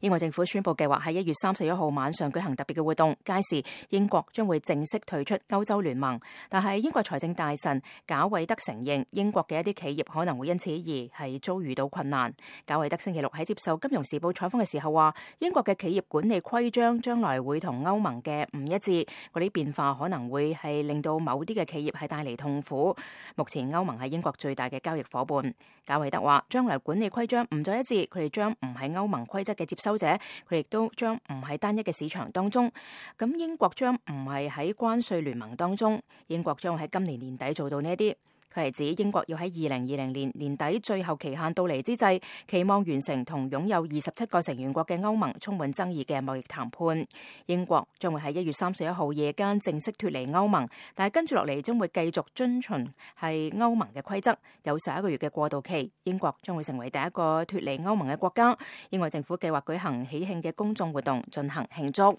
英國政府宣布計劃喺1月31號晚上舉行特別嘅活動，屆時英國將會正式退出歐洲聯盟。但係英國財政大臣賈偉德承認，英國嘅一啲企業可能會因此而係遭遇到困難。賈偉德星期六喺接受《金融時報》採訪嘅時候話，英國嘅企業管理規章將來會同歐盟嘅唔一致，嗰啲變化可能會係令到某啲嘅企業係帶嚟痛苦。目前歐盟係英國最大嘅交易夥伴。賈偉德話，將來管理規章唔再一致，佢哋將唔係歐盟規則嘅接收者，佢亦都將唔喺單一嘅市場當中。咁英國將唔係喺關稅聯盟當中，英國將會喺今年年底做到呢一啲。佢係指英國要喺2020年年底最後期限到嚟之際，期望完成同擁有27個成員國嘅歐盟充滿爭議嘅貿易談判。英國將會喺1月31號夜間正式脫離歐盟，但係跟住落嚟將會繼續遵循係歐盟嘅規則，有11個月嘅過渡期。英國將會成為第一個脫離歐盟嘅國家。英國政府計劃舉行喜慶嘅公眾活動進行慶祝。